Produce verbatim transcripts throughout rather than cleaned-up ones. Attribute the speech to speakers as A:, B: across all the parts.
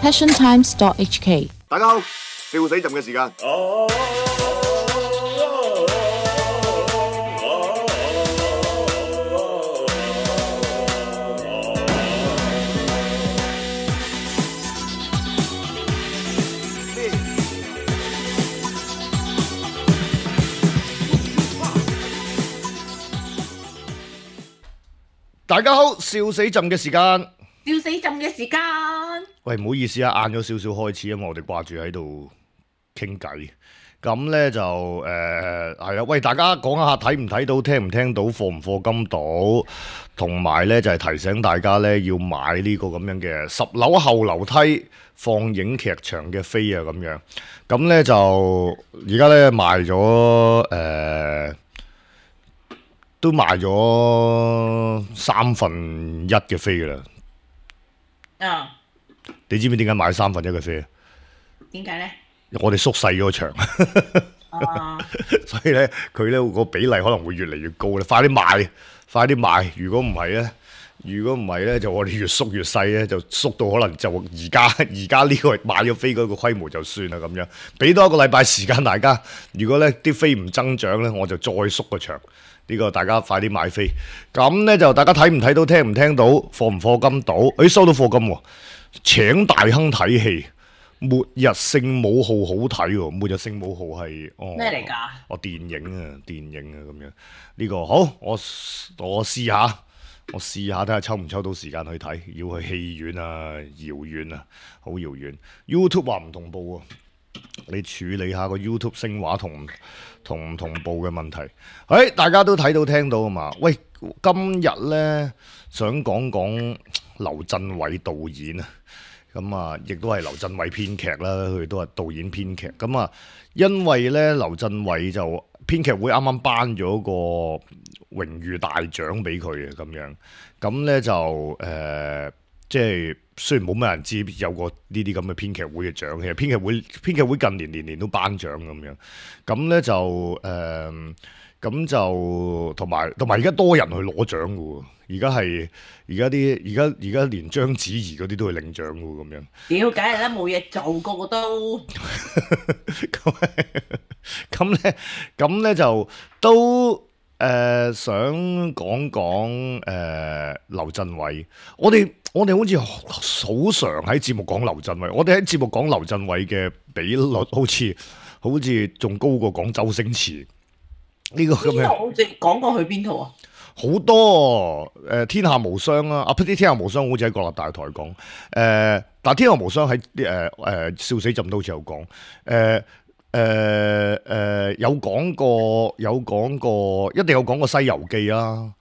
A: passion times dot h k。
B: 大家好，笑死朕嘅時間。大家好，笑死朕嘅時間。
C: 笑死朕嘅時間。
B: 喂，唔好意思啊，晏咗少少開始，因為我哋掛住喺度傾偈。咁呢就誒係啊，喂，大家講下睇唔睇到，聽唔聽到，課唔課金到，同埋呢就係提醒大家呢要買呢個咁樣嘅十樓後樓梯放映劇場嘅飛啊，咁樣。咁呢就而家呢賣咗誒。呃都賣咗三分一嘅飛噶啦，
C: 啊！
B: 你知唔知點解買三分一嘅飛啊？
C: 點解咧？
B: 我哋縮細咗個場，
C: 啊！
B: 所以咧佢咧個比例可能會越嚟越高咧。快啲賣，快啲賣！如果唔係咧，如果唔係咧，就我哋越縮越細咧，就縮到可能就而家而家呢個買咗飛嗰個規模就算啦咁樣。俾多一個禮拜時間大家，如果咧啲飛唔增長咧，我就再縮個場。呢個大家快啲買飛，咁呢就大家睇唔睇到，聽唔聽到，課唔課金到？誒收到課金喎，請大亨睇戲，《末日聖母號》好睇喎，《末日聖母號》係哦
C: 咩嚟㗎？
B: 哦電影啊，電影啊咁樣。呢個好，我我試下，我試下睇下抽唔抽到時間去睇，要去戲院啊，遙遠啊，好遙遠。YouTube 話唔同步喎，你處理下個 YouTube 聲畫同同唔同步嘅問題。誒、哎，大家都睇到聽到啊嘛？喂，今日呢，想講講劉鎮偉導演啊，咁啊，亦都係劉鎮偉編劇啦，佢都係導演編劇。咁啊，因為呢，劉鎮偉就編劇會啱啱頒咗個榮譽大獎俾佢嘅咁樣，咁呢就誒。呃即係雖然冇乜人知有個呢啲咁嘅編劇會嘅獎，其實編劇會編劇會近年年年都頒獎咁樣，咁咧就誒，咁、呃、就同埋同埋而家多人去攞獎嘅喎，而家係而家啲而家而家連章子怡嗰啲都去領獎嘅喎，咁樣。屌，
C: 梗係啦，冇嘢做，個個都。
B: 咁咁咧，咁咧就都。誒、呃、想講講誒劉鎮偉，我哋我哋好似好常喺節目講劉鎮偉，我哋喺節目講劉鎮偉嘅比率好似好似仲高過講周星馳呢、這個咁樣。邊
C: 套即係講過去邊套啊？
B: 好多誒、呃、天下無雙啊！啊，啲天下無雙好似喺國立大台講，誒、呃，但係天下無雙喺誒誒笑死朕都好似有講，誒、呃。誒誒、呃呃、有講過有講過，一定有講過《西遊記》啦，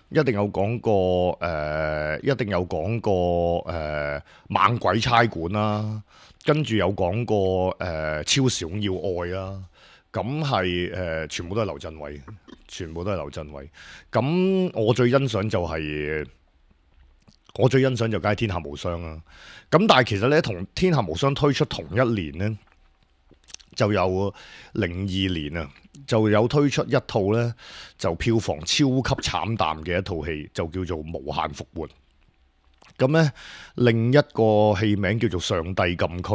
B: 一定有講過誒、呃，一定有講過誒、呃《猛鬼差館》啦，跟住有講過誒、呃《超時空要愛》啦，咁係誒全部都係劉鎮偉，全部都係劉鎮偉。咁我最欣賞就係、是、我最欣賞就梗係《天下無雙》啦。咁但係其實咧，同《天下無雙》推出同一年咧。就有零二年啊，就有推出一套呢，就票房超級慘淡嘅一套戲，就叫做《無限復活》。咁呢，另一個戲名叫做《上帝禁區》。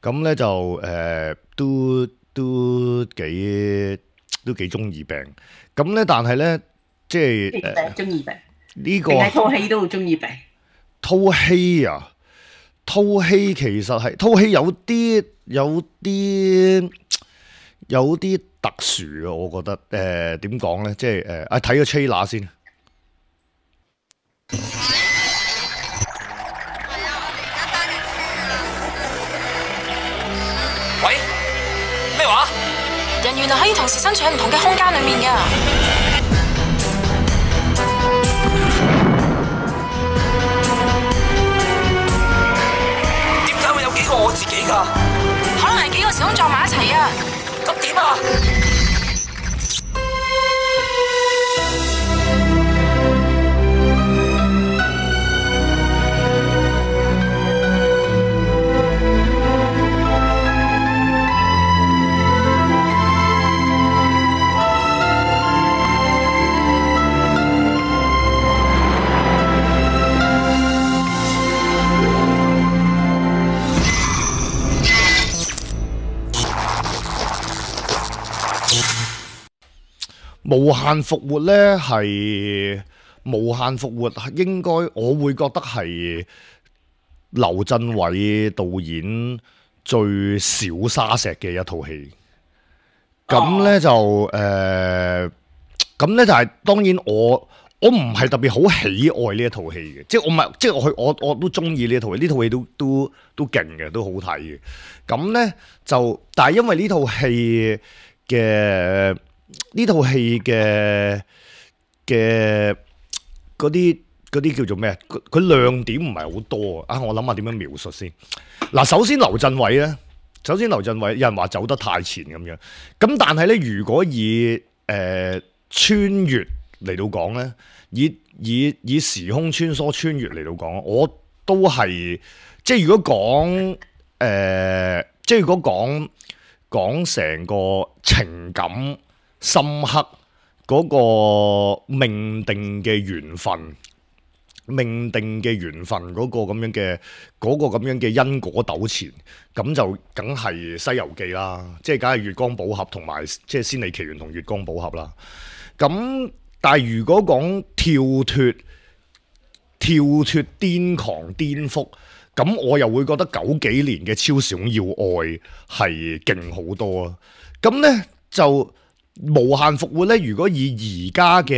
B: 咁呢，就誒、呃、都都幾都幾中二病。咁呢，但係呢，即係誒
C: 中二病
B: 呢個
C: 套戲都好中二病。
B: 套戲啊，套戲其實係套戲有啲。有啲有啲特殊嘅，我覺得誒點講咧，即係誒啊睇個 trailer 先。
D: 喂，咩話？人原來可以同時身處喺唔同嘅空間裡面㗎。點解會有幾個我自己㗎？可能係幾個時空撞埋一齊啊！咁點啊？
B: 無限復活咧係無限復活，應該我會覺得係劉鎮偉導演最小沙石嘅一套戲。咁咧就誒，咁、呃、咧就係、是、當然我我唔係特別好喜愛呢一套戲嘅，即係我唔係即係我去我我都中意呢一套戲，呢套戲都都都勁嘅，都好睇嘅。咁咧就但係因為呢套戲嘅呢套戲嘅嘅嗰啲嗰啲叫做咩？佢亮點唔係好多啊！我諗下點樣描述先。嗱，首先劉鎮偉咧。首先，劉鎮偉有人話走得太前咁樣，咁但係咧，如果以誒、呃、穿越嚟到講咧，以以以時空穿梭穿越嚟到講，我都係即係如果講誒、呃，即係如果講講成個情感深刻嗰個命定嘅緣分。命定嘅緣分嗰個咁樣嘅嗰、嗰個咁樣嘅因果糾纏，咁就梗係《西遊記》啦，即係梗係月光寶盒同埋即係《仙履奇緣》同月光寶盒啦。咁但係如果講跳脫跳脫癲狂顛覆，咁我又會覺得九幾年嘅超時空要愛係勁好多啊。咁咧就無限復活咧，如果以而家嘅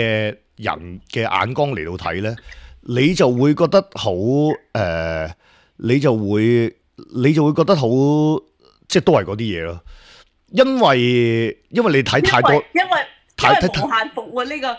B: 人嘅眼光嚟到睇咧。你就會覺得好誒、呃，你就會你就會覺得好，即係都係嗰啲嘢咯。因為因為你睇太多，
C: 因為因為
B: 太
C: 無限復活呢、呢個呢、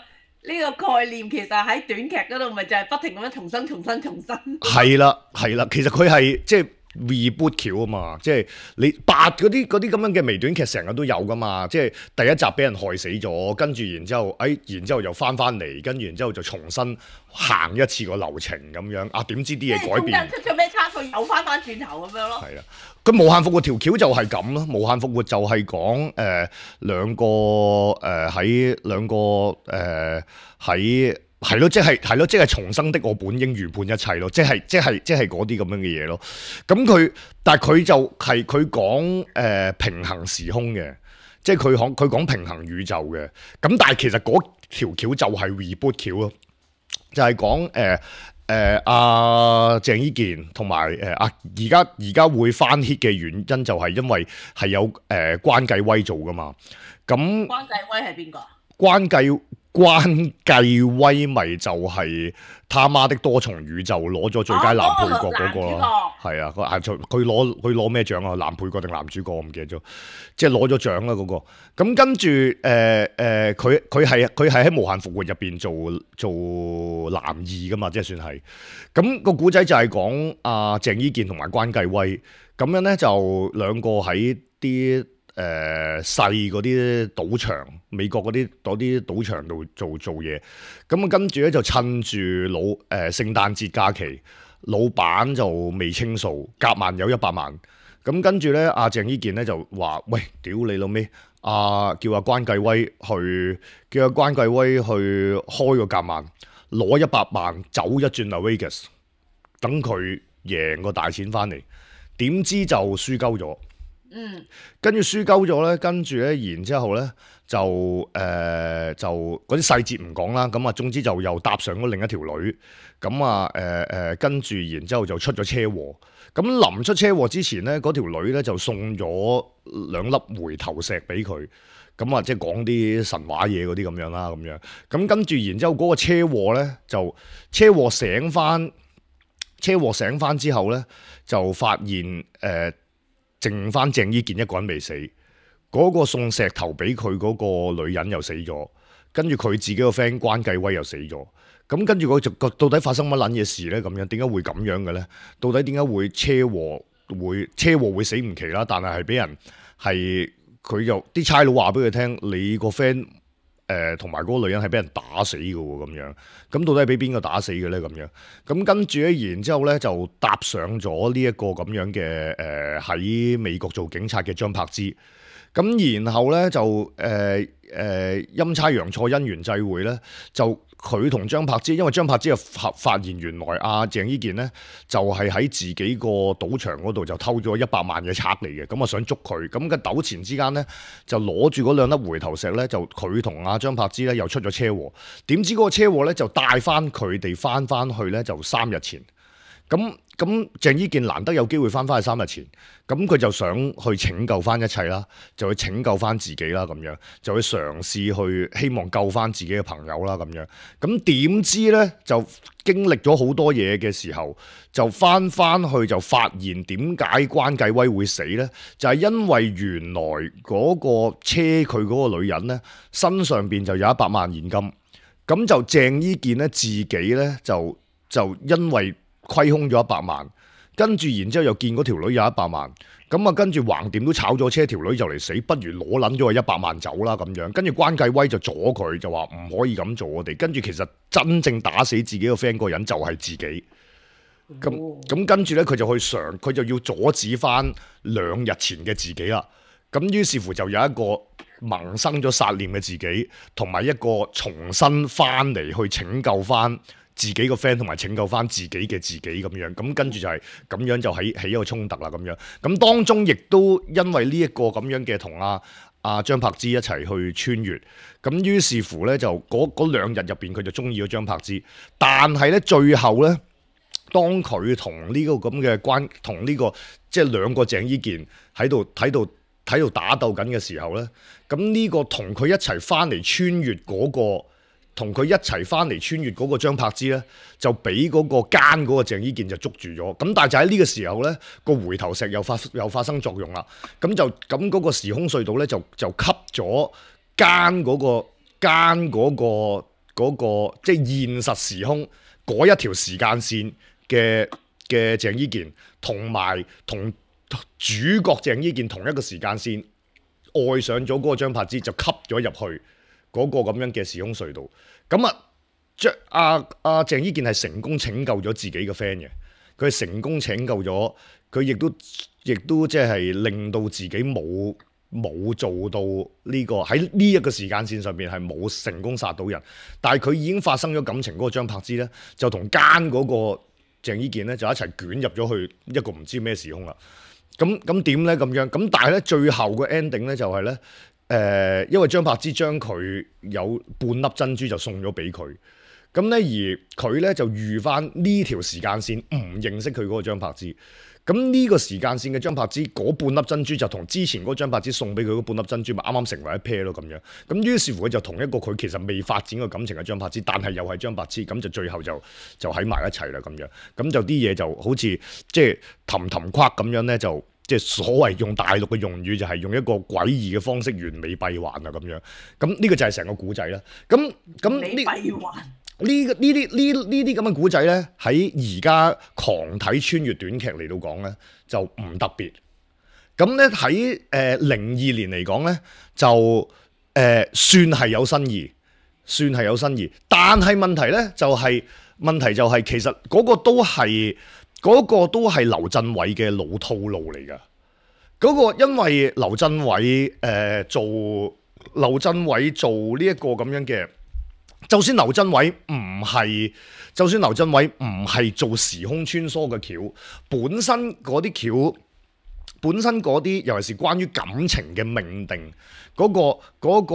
C: 呢個概念，其實喺短劇嗰度咪就係不停咁樣重新、重新、重新。係
B: 啦係啦，其實佢係即係 reboot 橋啊嘛，即係你八嗰啲嗰啲咁樣嘅微短劇成日都有噶嘛，即係第一集俾人害死咗，跟住然之後，哎，然之後又翻翻嚟，跟住然之後就重新行一次個流程咁樣啊，點知啲嘢改變？中間
C: 出咗咩差距，又翻翻轉頭咁樣咯。
B: 係啊，佢無限復活條橋就係咁咯，無限復活就係講誒兩個誒喺兩個誒喺。係咯，即係係咯，即係重生的我本應預判一切咯，即係即係即係嗰啲咁樣嘅嘢咯。咁佢，但係佢就係佢講誒平衡時空嘅，即係佢講佢講平衡宇宙嘅。咁但係其實嗰條橋就係 reboot 橋咯，就係講誒誒阿鄭伊健同埋誒阿而家而家會翻 hit 嘅原因就係因為係有誒、呃、關繼威做噶嘛。咁
C: 關繼威係邊個？
B: 關繼關繼威咪就係他媽的多重宇宙攞咗最佳男配角嗰個咯，係啊，個佢攞佢攞咩獎啊？男配角定男主角我唔記得咗，即係攞咗獎啦嗰個。咁跟住誒誒，佢佢係佢係喺無限復活入邊做做男二噶嘛，即係算係。咁個古仔就係講阿鄭伊健同埋關繼威，咁樣咧就兩個喺啲。誒細嗰啲賭場，美國嗰啲嗰啲賭場度做做嘢，咁啊跟住咧就趁住老誒、呃、聖誕節假期，老闆就未清數，夾萬有一百萬，咁跟住咧阿鄭伊健咧就話：喂，屌你老味，阿叫阿關繼威去，叫阿關繼威去開個夾萬，攞一百萬走一轉 Las Vegas，等佢贏個大錢翻嚟，點知就輸鳩咗。嗯，跟住輸鳩咗咧，跟住咧，然之後咧就誒、呃、就嗰啲細節唔講啦，咁啊總之就又搭上咗另一條女，咁啊誒誒跟住然之後就出咗車禍，咁臨出車禍之前咧，嗰條女咧就送咗兩粒回頭石俾佢，咁啊即係講啲神話嘢嗰啲咁樣啦，咁樣，咁跟住然之後嗰個車禍咧就車禍醒翻，車禍醒翻之後咧就發現誒。呃剩翻鄭伊健一個人未死，嗰、那個送石頭俾佢嗰個女人又死咗，跟住佢自己個 friend 關繼威又死咗，咁跟住佢就到底發生乜撚嘢事咧？咁樣點解會咁樣嘅咧？到底點解會車禍會車禍會死唔奇啦？但係係俾人係佢就啲差佬話俾佢聽，你個 friend 誒同埋嗰個女人係俾人打死嘅喎，咁樣，咁到底係俾邊個打死嘅咧？咁樣，咁跟住咧，然之後咧就搭上咗呢一個咁樣嘅誒喺美國做警察嘅張柏芝，咁然後咧就誒誒陰差陽錯因緣際會咧，就佢同張柏芝，因為張柏芝就發發現原來阿鄭伊健咧就係喺自己個賭場嗰度就偷咗一百萬嘅賊嚟嘅，咁啊想捉佢，咁嘅糾纏之間咧就攞住嗰兩粒回頭石咧，就佢同阿張柏芝咧又出咗車禍，點知嗰個車禍咧就帶翻佢哋翻翻去咧就三日前。咁咁鄭伊健難得有機會翻返去三日前，咁佢就想去拯救翻一切啦，就去拯救翻自己啦，咁樣就去嘗試去希望救翻自己嘅朋友啦，咁樣。咁點知咧就經歷咗好多嘢嘅時候，就翻翻去就發現點解關繼威會死咧？就係因為原來嗰個車佢嗰個女人咧身上邊就有一百萬現金，咁就鄭伊健咧自己咧就就因為虧空咗一百萬，跟住然之後又見嗰條女有一百萬，咁啊跟住橫掂都炒咗車，條女就嚟死，不如攞撚咗個一百萬走啦咁樣。跟住關繼威就阻佢，就話唔可以咁做我哋。跟住其實真正打死自己個 friend 嗰個人就係自己。咁咁跟住咧，佢就去嘗，佢就要阻止翻兩日前嘅自己啦。咁於是乎就有一個萌生咗殺念嘅自己，同埋一個重新翻嚟去拯救翻自己個 friend 同埋拯救翻自己嘅自己咁樣，咁跟住就係咁樣就起起一個衝突啦咁樣。咁當中亦都因為呢一個咁樣嘅同阿阿張柏芝一齊去穿越，咁於是乎咧就嗰嗰兩日入邊佢就中意咗張柏芝，但係咧最後咧當佢同呢個咁嘅關同呢個即係兩個鄭伊健喺度喺度喺度打鬥緊嘅時候咧，咁呢個同佢一齊翻嚟穿越嗰個。同佢一齊翻嚟穿越嗰個張柏芝咧，就俾嗰個奸嗰個鄭伊健就捉住咗。咁但係就喺呢個時候咧，個回頭石又發又發生作用啦。咁就咁嗰個時空隧道咧，就就吸咗奸嗰個奸嗰個嗰個即係現實時空嗰一條時間線嘅嘅鄭伊健，同埋同主角鄭伊健同一個時間線愛上咗嗰個張柏芝，就吸咗入去嗰個咁樣嘅時空隧道，咁啊，將阿阿鄭伊健係成功拯救咗自己嘅 friend 嘅，佢係成功拯救咗，佢亦都亦都即係令到自己冇冇做到呢個喺呢一個時間線上邊係冇成功殺到人，但係佢已經發生咗感情嗰個張柏芝咧，就同奸嗰個鄭伊健咧就一齊捲入咗去一個唔知咩時空啦。咁咁點咧咁樣？咁但係咧最後個 ending 咧就係咧。誒、呃，因為張柏芝將佢有半粒珍珠就送咗俾佢，咁咧而佢咧就預翻呢條時間線唔認識佢嗰個張柏芝，咁呢個時間線嘅張柏芝嗰半粒珍珠就同之前嗰張柏芝送俾佢嗰半粒珍珠咪啱啱成為一 pair 咯咁樣，咁於是乎佢就同一個佢其實未發展過感情嘅張柏芝，但係又係張柏芝，咁就最後就就喺埋一齊啦咁樣，咁就啲嘢就好似即係氹氹框咁樣咧就。即係所謂用大陸嘅用語就係用一個詭異嘅方式完美閉環啊咁樣，咁呢個就係成個古仔啦。咁咁呢呢呢啲呢呢啲咁嘅古仔咧，喺而家狂睇穿越短劇嚟到講咧就唔特別。咁咧喺誒零二年嚟講咧就誒、呃、算係有新意，算係有新意。但係問題咧就係、是、問題就係、是、其實嗰個都係。嗰個都係劉鎮偉嘅老套路嚟㗎，嗰、嗰個因為劉鎮偉誒、呃、做劉鎮偉做呢一個咁樣嘅，就算劉鎮偉唔係，就算劉鎮偉唔係做時空穿梭嘅橋，本身嗰啲橋，本身嗰啲尤其是關於感情嘅命定。嗰、嗰個嗰、嗰個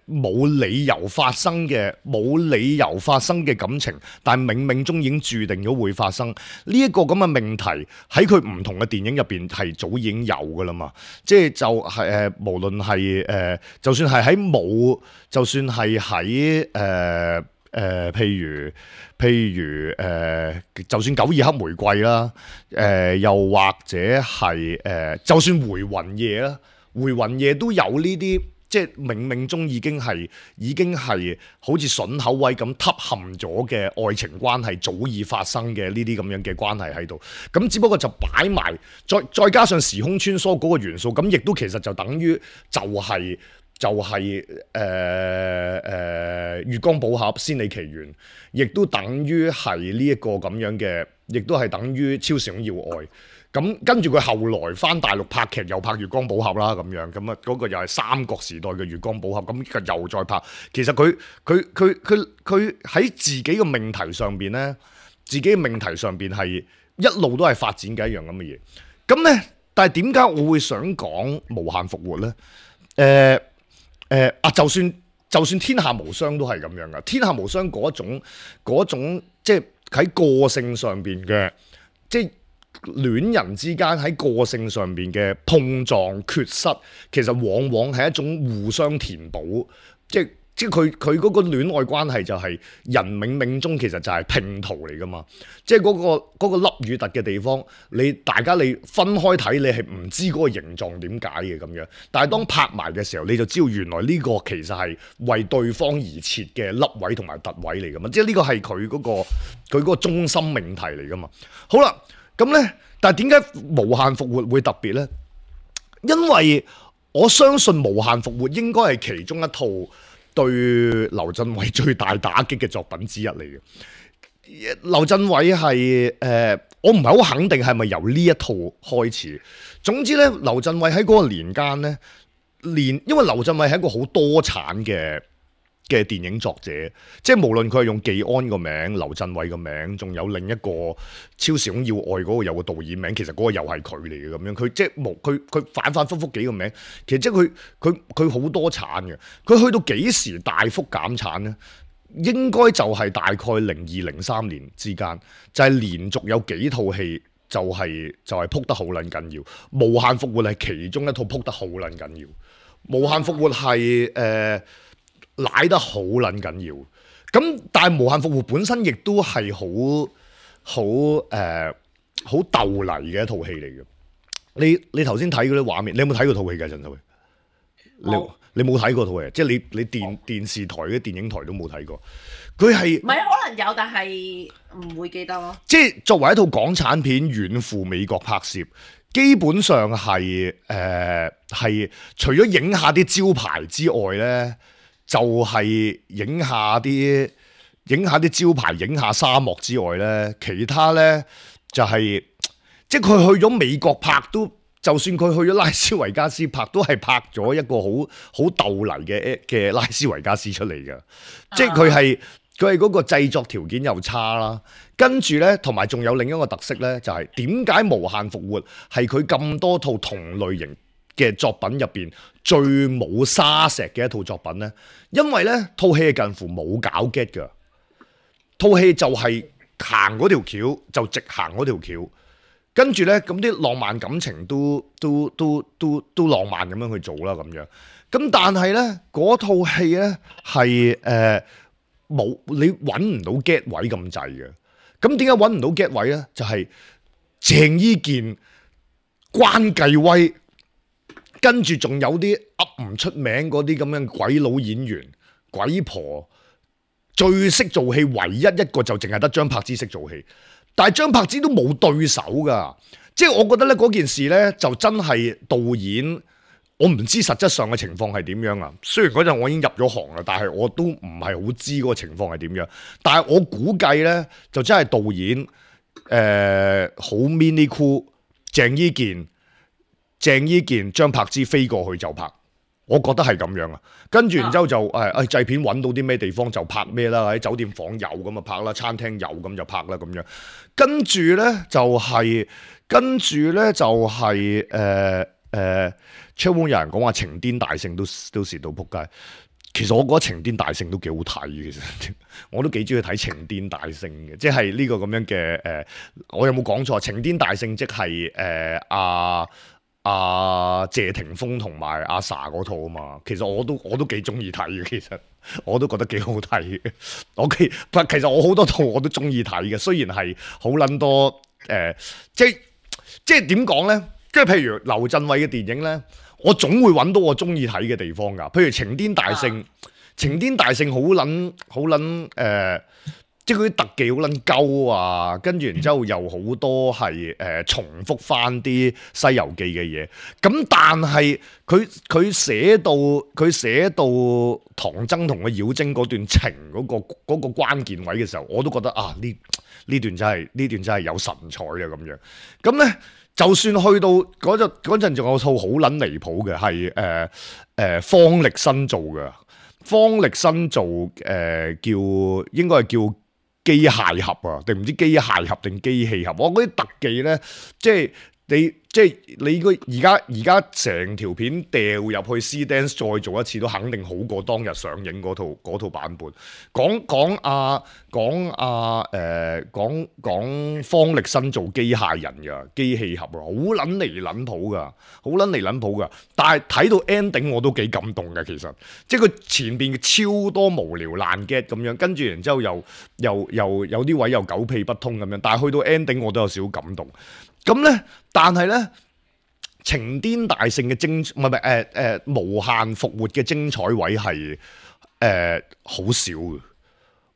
B: 冇、呃、理由發生嘅冇理由發生嘅感情，但係冥冥中已經註定咗會發生呢一、呢個咁嘅命題喺佢唔同嘅電影入邊係早已經有㗎啦嘛，即係就係、是、誒、呃、無論係誒、呃、就算係喺冇，就算係喺誒誒譬如譬如誒、呃、就算九二黑玫瑰啦，誒、呃、又或者係誒、呃、就算回魂夜啦。回魂夜都有呢啲，即係冥冥中已經係已經係好似筍口位咁凹陷咗嘅愛情關係，早已發生嘅呢啲咁樣嘅關係喺度。咁只不過就擺埋，再再加上時空穿梭嗰個元素，咁亦都其實就等於就係、是、就係誒誒月光寶盒仙履奇緣，亦都等於係呢一個咁樣嘅亦都係等於超時空要愛。咁跟住佢後來翻大陸拍劇，又拍《月光寶盒》啦，咁樣咁啊，嗰個又係三國時代嘅《月光寶盒》，咁佢又再拍。其實佢佢佢佢佢喺自己嘅命題上邊咧，自己嘅命題上邊係一路都係發展嘅一樣咁嘅嘢。咁咧，但係點解我會想講無限復活咧？誒誒啊，就算就算天下無雙都係咁樣噶，天下無雙嗰種嗰種即係喺個性上邊嘅即係。戀人之間喺個性上邊嘅碰撞缺失，其實往往係一種互相填補，即係即係佢佢嗰個戀愛關係就係人冥冥中其實就係拼圖嚟噶嘛，即係嗰個嗰個凹與凸嘅地方，你大家你分開睇你係唔知嗰個形狀點解嘅咁樣，但係當拍埋嘅時候你就知道原來呢個其實係為對方而設嘅凹位同埋凸位嚟噶嘛，即係呢個係佢嗰個佢嗰個中心命題嚟噶嘛。好啦。咁咧，但係點解無限復活會特別咧？因為我相信無限復活應該係其中一套對劉鎮偉最大打擊嘅作品之一嚟嘅。劉鎮偉係誒，我唔係好肯定係咪由呢一套開始。總之咧，劉鎮偉喺嗰個年間咧，連因為劉鎮偉係一個好多產嘅嘅電影作者，即係無論佢係用技安個名、劉鎮偉個名，仲有另一個超時空要愛嗰個有個導演名，其實嗰個又係佢嚟嘅咁樣。佢即係無佢佢反反覆覆幾個名，其實即係佢佢佢好多產嘅。佢去到幾時大幅減產咧？應該就係大概零二零三年之間，就係、是、連續有幾套戲就係、是、就係、是、撲得好撚緊要。無限復活係其中一套撲得好撚緊要。無限復活係誒。呃奶得好撚緊要，咁但係無限復活本身亦都係好好誒好鬥泥嘅一套戲嚟嘅。你你頭先睇嗰啲畫面，你有冇睇過套戲㗎？陳秀慧，你你冇睇過套戲，即係你你電電視台嘅電影台都冇睇過。佢係
C: 唔係可能有，但係唔會記得咯。即
B: 係作為一套港產片遠赴美國拍攝，基本上係誒係除咗影下啲招牌之外咧。就係影下啲影下啲招牌，影下沙漠之外咧，其他咧就係、是、即係佢去咗美國拍都，就算佢去咗拉斯維加斯拍，都係拍咗一個好好鬥泥嘅嘅拉斯維加斯出嚟嘅，即係佢係佢係嗰個製作條件又差啦，跟住咧同埋仲有另一個特色咧，就係點解無限復活係佢咁多套同類型嘅作品入邊最冇沙石嘅一套作品呢？因為呢套戲係近乎冇搞 get 嘅，套戲就係行嗰條橋就直行嗰條橋，跟住呢，咁啲浪漫感情都都都都都浪漫咁樣去做啦咁樣，咁但係呢，嗰套戲呢係誒冇你揾唔到 get 位咁滯嘅，咁點解揾唔到 get 位呢？就係、是、鄭伊健、關繼威。跟住仲有啲噏唔出名嗰啲咁樣鬼佬演員、鬼婆，最識做戲，唯一一個就淨係得張柏芝識做戲，但係張柏芝都冇對手噶，即係我覺得咧嗰件事咧就真係導演，我唔知實質上嘅情況係點樣啊。雖然嗰陣我已經入咗行啦，但係我都唔係好知嗰個情況係點樣。但係我估計咧就真係導演誒好 mini cool，鄭伊健。鄭伊健、張柏芝飛過去就拍，我覺得係咁樣啊。跟住然之後就誒誒製片揾到啲咩地方就拍咩啦，喺酒店房有咁就拍啦，餐廳有咁就拍啦咁樣。跟住咧就係、是，跟住咧就係誒誒，超有人講話情癲大聖都都蝕到撲街。其實我覺得情癲大聖都幾好睇嘅，其實我都幾中意睇情癲大聖嘅，即係呢個咁樣嘅誒、呃，我有冇講錯？情癲大聖即係誒阿。阿、啊、謝霆鋒同埋阿 sa 嗰套啊嘛，其實我都我都幾中意睇嘅，其實我都覺得幾好睇嘅。我其其實我好多套我都中意睇嘅，雖然係好撚多誒、呃，即係即係點講咧？即係譬如劉鎮偉嘅電影咧，我總會揾到我中意睇嘅地方㗎。譬如情癲大聖，情癲大聖好撚好撚誒，即係嗰啲特技好撚鳩啊，跟住然之後又好多係誒、呃、重複翻啲《西遊記》嘅嘢。咁但係佢佢寫到佢寫到唐僧同個妖精嗰段情嗰、嗰個嗰、嗰個關鍵位嘅時候，我都覺得啊呢呢段真係呢段真係有神采啊咁樣。咁咧就算去到嗰陣嗰陣仲有套好撚離譜嘅係誒誒方力申做嘅，方力申做誒、呃、叫應該係叫。機械俠啊，定唔知機械俠定機器俠？我嗰啲特技咧，即係你即係你個而家而家成條片掉入去 C Dance 再做一次，都肯定好過當日上映嗰套嗰套版本。講講啊講啊誒講講方力申做機械人㗎，機器俠啊，好撚離撚譜㗎，好撚離撚譜㗎。但係睇到 ending 我都幾感動嘅，其實即係佢前邊超多無聊爛 get 咁樣，跟住然之後又又又有啲位又狗屁不通咁樣，但係去到 ending 我都有少少感動。咁咧，但係咧，情癲大聖嘅精唔係唔係誒誒無限復活嘅精彩位係誒好少嘅，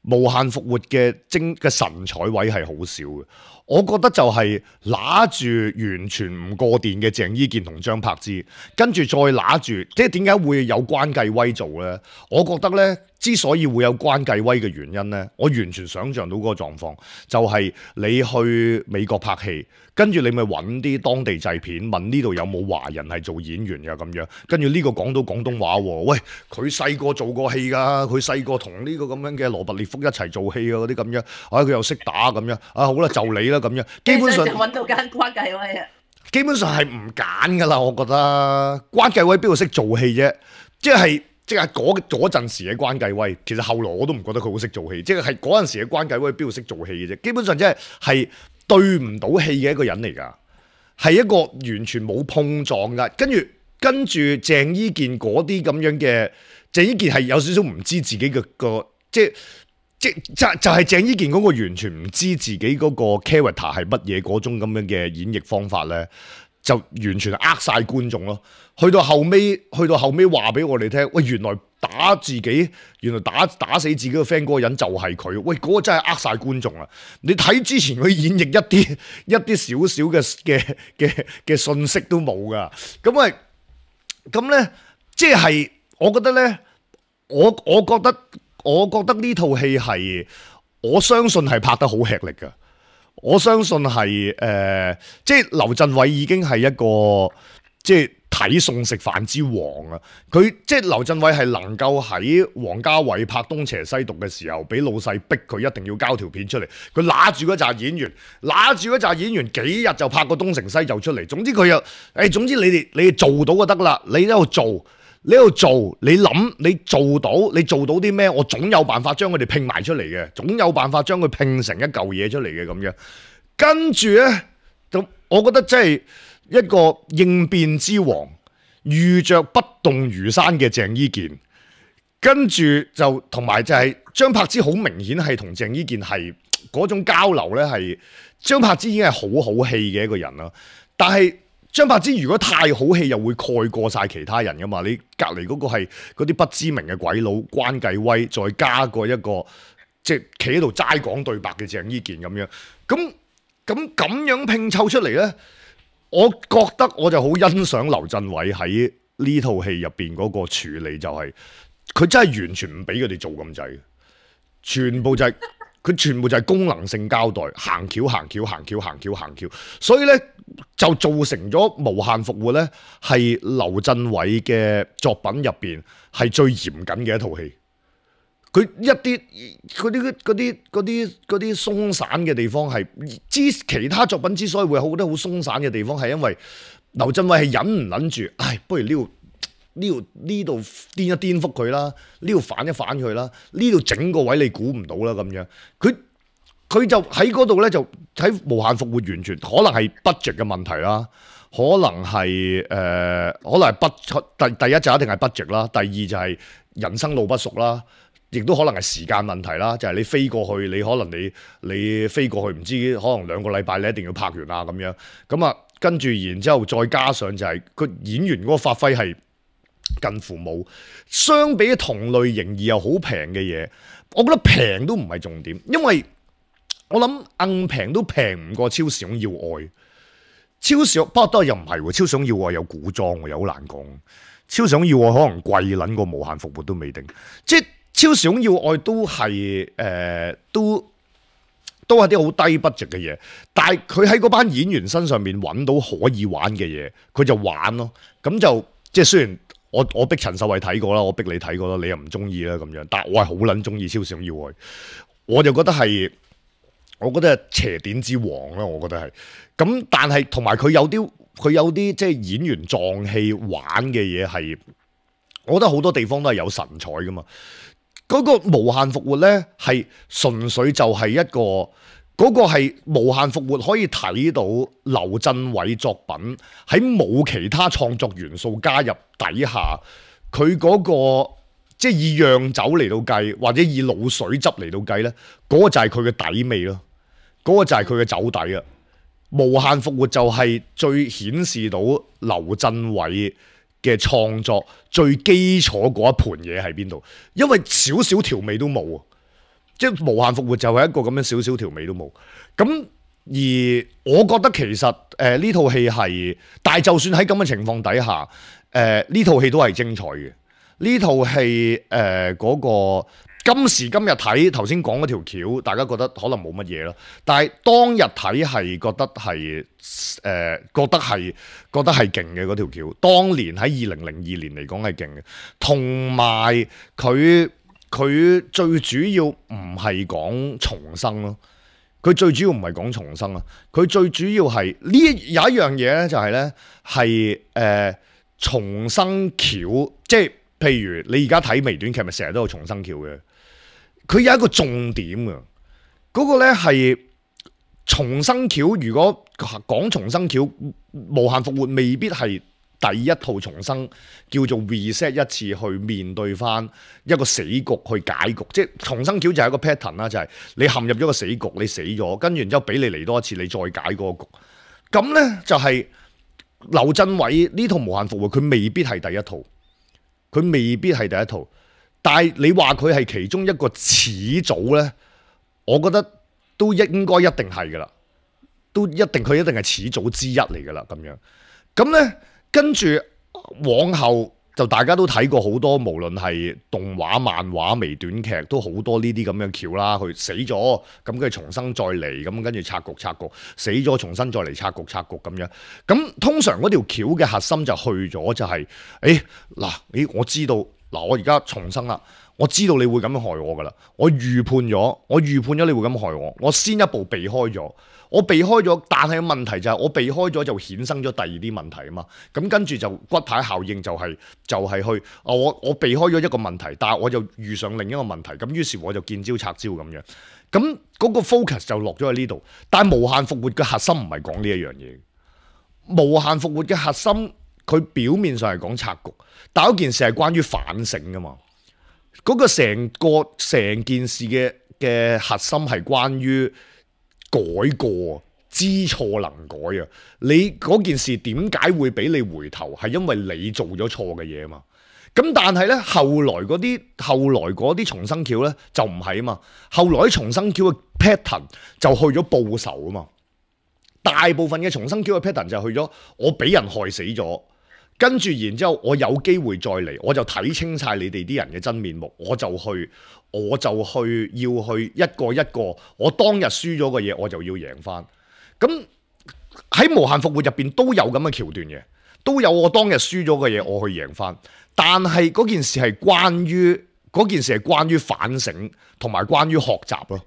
B: 無限復活嘅精嘅神采位係好少嘅。我覺得就係拿住完全唔過電嘅鄭伊健同張柏芝，跟住再拿住，即係點解會有關繼威做咧？我覺得咧，之所以會有關繼威嘅原因咧，我完全想像到嗰個狀況，就係、是、你去美國拍戲，跟住你咪揾啲當地製片問呢度有冇華人係做演員㗎咁樣，跟住呢個講到廣東話喎，喂，佢細個做過戲㗎，佢細個同呢個咁樣嘅羅拔列福一齊做戲啊嗰啲咁樣，啊佢又識打咁樣，啊好啦就你啦咁樣，基本上就
C: 揾到間關繼威啊，
B: 基本上係唔揀㗎啦，我覺得關繼威邊度識做戲啫，即係。即係嗰嗰陣時嘅關繼威，其實後來我都唔覺得佢好識做戲，即係係嗰陣時嘅關繼威邊度識做戲嘅啫，基本上即係係對唔到戲嘅一個人嚟㗎，係一個完全冇碰撞㗎。跟住跟住鄭伊健嗰啲咁樣嘅，鄭伊健係有少少唔知自己嘅個，即係即就就係鄭伊健嗰個完全唔知自己嗰個 character 係乜嘢嗰種咁樣嘅演繹方法咧。就完全呃晒觀眾咯，去到後尾，去到後尾話俾我哋聽，喂，原來打自己，原來打打死自己個 friend 嗰個人就係佢，喂，嗰、嗰個真係呃晒觀眾啦！你睇之前佢演繹一啲一啲少少嘅嘅嘅嘅信息都冇噶，咁啊，咁咧，即係我覺得咧，我我覺得我覺得呢套戲係，我相信係拍得好吃力噶。我相信係誒、呃，即係劉鎮偉已經係一個即係睇餸食飯之王啊！佢即係劉鎮偉係能夠喺王家衛拍《東邪西毒》嘅時候，俾老細逼佢一定要交條片出嚟。佢揦住嗰紮演員，揦住嗰紮演員幾日就拍個東成西就出嚟。總之佢又誒、哎，總之你哋你哋做到就得啦，你喺度做。你喺度做，你諗你做到，你做到啲咩？我總有辦法將佢哋拼埋出嚟嘅，總有辦法將佢拼成一嚿嘢出嚟嘅咁樣。跟住咧，就我覺得真係一個應變之王，遇着不動如山嘅鄭伊健。跟住就同埋就係張柏芝，好明顯係同鄭伊健係嗰種交流咧，係張柏芝已經係好好戲嘅一個人啦，但係。張柏芝如果太好戲，又會蓋過晒其他人噶嘛？你隔離嗰個係嗰啲不知名嘅鬼佬關繼威，再加個一個即係企喺度齋講對白嘅鄭伊健咁樣，咁咁咁樣拼湊出嚟咧，我覺得我就好欣賞劉鎮偉喺呢套戲入邊嗰個處理，就係、是、佢真係完全唔俾佢哋做咁滯，全部就係、是。佢全部就係功能性交代，行橋行橋行橋行橋行橋，所以咧就造成咗無限復活咧係劉鎮偉嘅作品入邊係最嚴謹嘅一套戲。佢一啲嗰啲嗰啲嗰啲嗰啲鬆散嘅地方係之其他作品之所以會好得好鬆散嘅地方，係因為劉鎮偉係忍唔忍住，唉，不如呢度。呢度呢度顛一顛覆佢啦，呢度反一反佢啦，呢度整個位你估唔到啦咁樣，佢佢就喺嗰度咧，就喺無限復活完全可能係 budget 嘅問題啦，可能係誒、呃，可能係不第第一就一定係 budget 啦，第二就係人生路不熟啦，亦都可能係時間問題啦，就係、是、你飛過去，你可能你你飛過去唔知可能兩個禮拜你一定要拍完啊咁樣，咁啊跟住然之後再加上就係、是、個演員嗰個發揮係。近乎冇。相比同類型而又好平嘅嘢，我覺得平都唔係重點，因為我諗硬平都平唔過超時空要愛。超時不過都又唔係喎，超時空要愛有古裝喎，又好難講。超時空要愛可能貴撚過無限復活都未定，即係超時空要愛都係誒、呃、都都係啲好低 budget 嘅嘢，但係佢喺嗰班演員身上面揾到可以玩嘅嘢，佢就玩咯。咁就即係雖然我我逼陳秀慧睇過啦，我逼你睇過啦，你又唔中意啦咁樣，但係我係好撚中意超時空要愛，我就覺得係。我覺得係邪典之王啦，我覺得係咁，但係同埋佢有啲佢有啲即係演員撞戲玩嘅嘢係，我覺得好多地方都係有神采噶嘛。嗰、那個無限復活咧係純粹就係一個嗰、那個係無限復活可以睇到劉鎮偉作品喺冇其他創作元素加入底下，佢嗰、那個。即係以釀酒嚟到計，或者以滷水汁嚟到計咧，嗰、那個就係佢嘅底味咯，嗰、那個就係佢嘅酒底啊！無限復活就係最顯示到劉鎮偉嘅創作最基礎嗰一盤嘢喺邊度，因為少少調味都冇啊！即係無限復活就係一個咁樣少少調味都冇。咁而我覺得其實誒呢套戲係，但係就算喺咁嘅情況底下，誒呢套戲都係精彩嘅。呢套戲誒嗰個今時今日睇頭先講嗰條橋，大家覺得可能冇乜嘢咯。但係當日睇係覺得係誒、呃、覺得係覺得係勁嘅嗰條橋。當年喺二零零二年嚟講係勁嘅，同埋佢佢最主要唔係講重生咯。佢最主要唔係講重生啊，佢最主要係呢有一樣嘢咧，就係咧係誒重生橋，即係。譬如你而家睇微短劇，咪成日都有重生橋嘅。佢有一個重點嘅，嗰、那個咧係重生橋。如果講重生橋，無限復活未必係第一套重生，叫做 reset 一次去面對翻一個死局去解局。即係重生橋就係一個 pattern 啦，就係你陷入咗個死局，你死咗，跟住然之後俾你嚟多一次，你再解嗰個局。咁咧就係劉鎮偉呢套無限復活，佢未必係第一套。佢未必係第一套，但係你話佢係其中一個始祖咧，我覺得都應該一定係噶啦，都一定佢一定係始祖之一嚟噶啦咁樣。咁咧跟住往後就大家都睇過好多，無論係動畫、漫畫、微短劇，都好多呢啲咁嘅橋啦。佢死咗，咁跟住重生再嚟，咁跟住拆局拆局，死咗重新再嚟拆局拆局咁樣。咁通常嗰條橋嘅核心就去咗就係、是，誒嗱，誒我知道嗱，我而家重生啦，我知道你會咁樣害我噶啦，我預判咗，我預判咗你會咁害我，我先一步避開咗。我避開咗，但係問題就係我避開咗就衍生咗第二啲問題啊嘛。咁跟住就骨牌效應就係、是、就係、是、去，我我避開咗一個問題，但係我就遇上另一個問題，咁於是我就見招拆招咁樣。咁嗰個 focus 就落咗喺呢度。但係無限復活嘅核心唔係講呢一樣嘢。無限復活嘅核心，佢表面上係講拆局，但係嗰件事係關於反省噶嘛。嗰、那個成個成件事嘅嘅核心係關於改過，知錯能改啊！你嗰件事點解會俾你回頭？係因為你做咗錯嘅嘢啊嘛。咁但係咧，後來嗰啲後來嗰啲重生橋咧就唔係啊嘛。後來啲重生橋嘅 pattern 就去咗報仇啊嘛。大部分嘅重生橋嘅 pattern 就去咗我俾人害死咗，跟住然之後我有機會再嚟，我就睇清晒你哋啲人嘅真面目，我就去。我就去要去一個一個，我當日輸咗嘅嘢，我就要贏翻。咁喺無限復活入邊都有咁嘅橋段嘅，都有我當日輸咗嘅嘢，我去贏翻。但係嗰件事係關於嗰件事係關於反省同埋關於學習咯。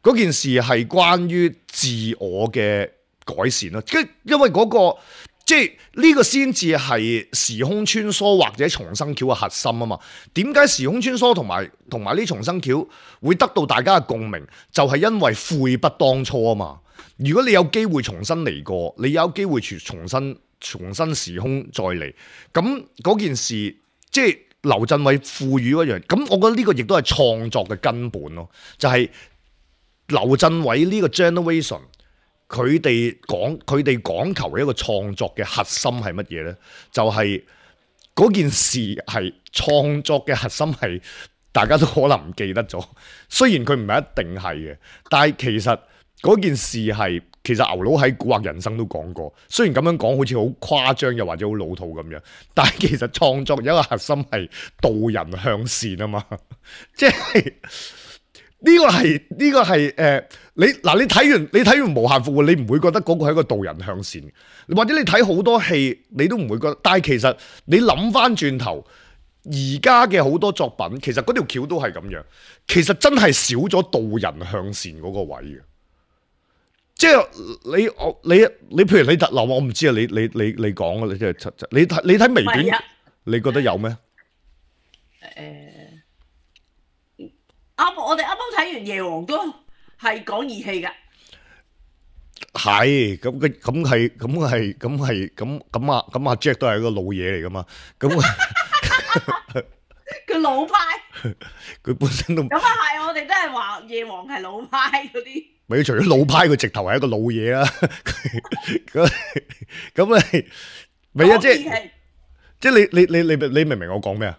B: 嗰件事係關於自我嘅改善咯。即因為嗰個。即係呢個先至係時空穿梭或者重生橋嘅核心啊嘛。點解時空穿梭同埋同埋呢重生橋會得到大家嘅共鳴？就係因為悔不當初啊嘛。如果你有機會重新嚟過，你有機會重新重新時空再嚟，咁嗰件事即係劉鎮偉賦予嗰樣。咁我覺得呢個亦都係創作嘅根本咯。就係劉鎮偉呢個 generation。佢哋講佢哋講求一個創作嘅核心係乜嘢咧？就係、是、嗰件事係創作嘅核心係大家都可能唔記得咗。雖然佢唔係一定係嘅，但係其實嗰件事係其實牛佬喺《蠱惑人生》都講過。雖然咁樣講好似好誇張又或者好老土咁樣，但係其實創作有一個核心係導人向善啊嘛，即係。呢個係呢、這個係誒、呃，你嗱你睇完你睇完無限復活，你唔會覺得嗰個係一個導人向善，或者你睇好多戲，你都唔會覺得。但係其實你諗翻轉頭，而家嘅好多作品，其實嗰條橋都係咁樣，其實真係少咗導人向善嗰個位嘅。即係你我你你譬如你特嗱，我唔知啊，你你你你講啊，你即係你睇你睇微短，你覺得有咩？
C: 誒。啱，我哋啱啱睇完夜王都係講義氣㗎。
B: 係咁嘅，咁係，咁係，咁係，咁咁啊，咁阿 Jack 都係一個老嘢嚟噶嘛。咁
C: 佢老派，
B: 佢本身都咁
C: 啊係，我哋都係話夜王係老派嗰啲。
B: 咪除咗老派，佢直頭係一個老嘢啦。咁咁你咪啊，即係即係你你你你你明唔明我講咩啊？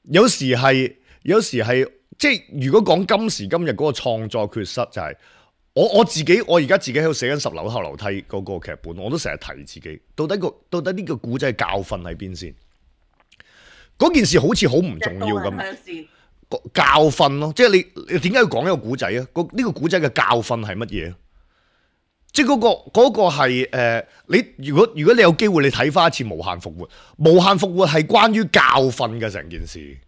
B: 有時係，有時係。即係如果講今時今日嗰個創作缺失，就係我我自己，我而家自己喺度寫緊十樓後樓梯嗰個劇本，我都成日提自己，到底個到底呢個古仔嘅教訓喺邊先？嗰件事好似好唔重要咁，教訓咯，即係你你點解要講一個古仔啊？個呢個古仔嘅教訓係乜嘢？即係嗰個嗰個係誒，你如果如果你有機會，你睇翻一次無限復活，無限復活係關於教訓嘅成件事。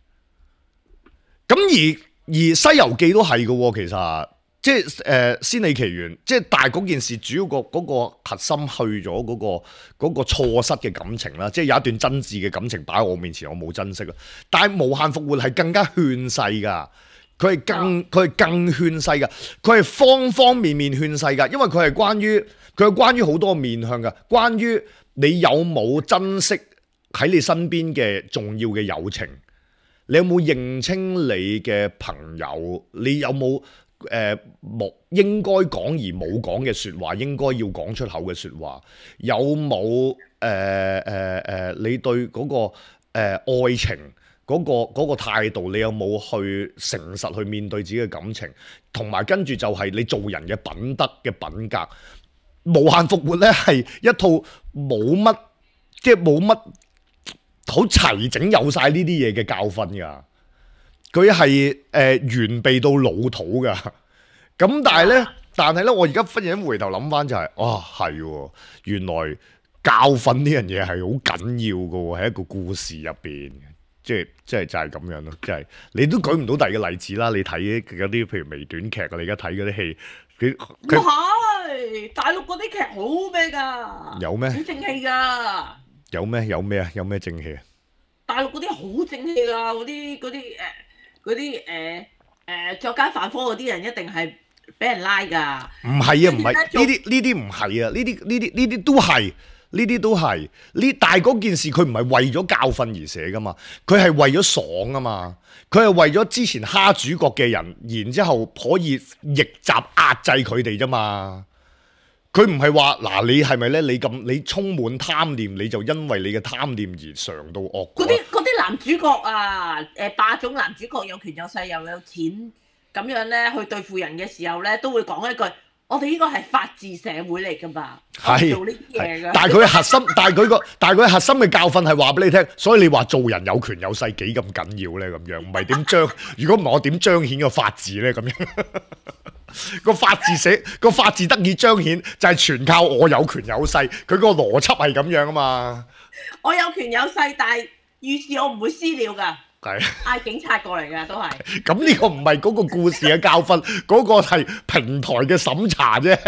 B: 咁而而《西遊記》都係嘅，其實即係誒《仙履奇緣》，即係但係嗰件事主要個嗰個核心去咗嗰個嗰個錯失嘅感情啦，即係有一段真摯嘅感情擺喺我面前，我冇珍惜啊！但係無限復活係更加勸世噶，佢係更佢係更勸世噶，佢係方方面面勸世噶，因為佢係關於佢係關於好多面向噶，關於你有冇珍惜喺你身邊嘅重要嘅友情。你有冇認清你嘅朋友？你有冇誒冇應該講而冇講嘅説話？應該要講出口嘅説話？有冇誒誒誒？你對嗰、那個誒、呃、愛情嗰、那個嗰、那個態度？你有冇去誠實去面對自己嘅感情？同埋跟住就係你做人嘅品德嘅品格。無限復活咧係一套冇乜，即係冇乜。好齊整有晒呢啲嘢嘅教訓㗎，佢係誒完備到老土㗎。咁但係咧，但係咧，我而家忽然間回頭諗翻就係、是，哇係，原來教訓呢樣嘢係好緊要㗎喎，喺一個故事入邊，即係即係就係咁樣咯。即係你都舉唔到第二個例子啦。你睇嗰啲譬如微短劇啊，你而家睇嗰啲戲，佢佢
C: 係大陸嗰啲劇好咩㗎？有咩？好正氣㗎。
B: 有咩有咩啊？有咩正氣啊？
C: 大陸嗰啲好正氣㗎，嗰啲嗰啲誒嗰啲誒誒作奸犯科嗰啲人一定係俾人拉㗎。唔
B: 係啊，唔係呢啲呢啲唔係啊，呢啲呢啲呢啲都係呢啲都係呢。但係嗰件事佢唔係為咗教訓而寫㗎嘛，佢係為咗爽啊嘛，佢係為咗之前蝦主角嘅人，然之後可以逆襲壓制佢哋啫嘛。佢唔係話嗱，你係咪咧？你咁你充滿貪念，你就因為你嘅貪念而嘗到惡果。
C: 嗰啲嗰啲男主角啊，誒霸總男主角有權有勢又有錢，咁樣咧去對付人嘅時候咧，都會講一句：我哋呢個係法治社會嚟㗎嘛，係做呢啲嘢㗎。
B: 但係佢核心，但係佢個，但係佢核心嘅教訓係話俾你聽。所以你話做人有權有勢幾咁緊要咧？咁樣唔係點彰？如果唔係我點彰顯個法治咧？咁樣。個法治社個法治得以彰顯，就係全靠我有權有勢。佢個邏輯係咁樣啊嘛。
C: 我有權有勢，但係遇事我唔會私了㗎。係嗌警察過嚟㗎，都係。咁
B: 呢個唔係嗰個故事嘅教訓，嗰個係平台嘅審查啫。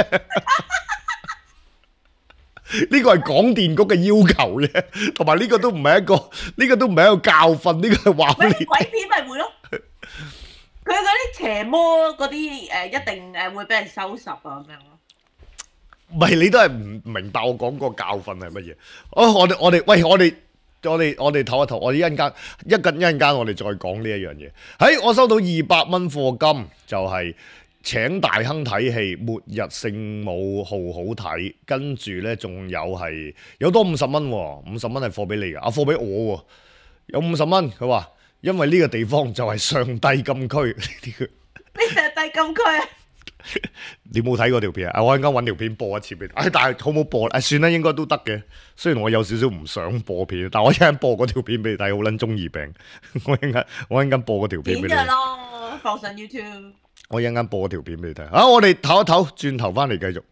B: 呢個係廣電局嘅要求啫，同埋呢個都唔係一個，呢個都唔係一個教訓，呢個係話俾你。
C: 鬼片咪會咯。佢嗰啲邪魔嗰啲誒，一定誒會俾人收拾啊咁樣咯。
B: 唔係你都係唔明白我講個教訓係乜嘢？哦，我哋我哋喂我哋我哋我哋唞一唞，我哋一陣間一陣一陣間我哋再講呢一樣嘢。喺我收到二百蚊課金，就係請大亨睇戲《末日聖母號》好睇，跟住咧仲有係有多五十蚊，五十蚊係貨俾你㗎，啊貨俾我喎。有五十蚊，佢話因為呢個地方就係上帝禁區。
C: 咩上帝禁區啊？
B: 你冇睇嗰條片啊？我陣間揾條片播一次俾你。唉，但係好冇播？唉，算啦，應該都得嘅。雖然我有少少唔想播片，但我一陣播嗰條片俾你睇，好撚中二病。我一陣間我一陣間播嗰條片俾你。
C: 片㗎咯，放上 YouTube。
B: 我一陣間播嗰條片俾你睇。啊，我哋唞一唞，轉頭翻嚟繼續。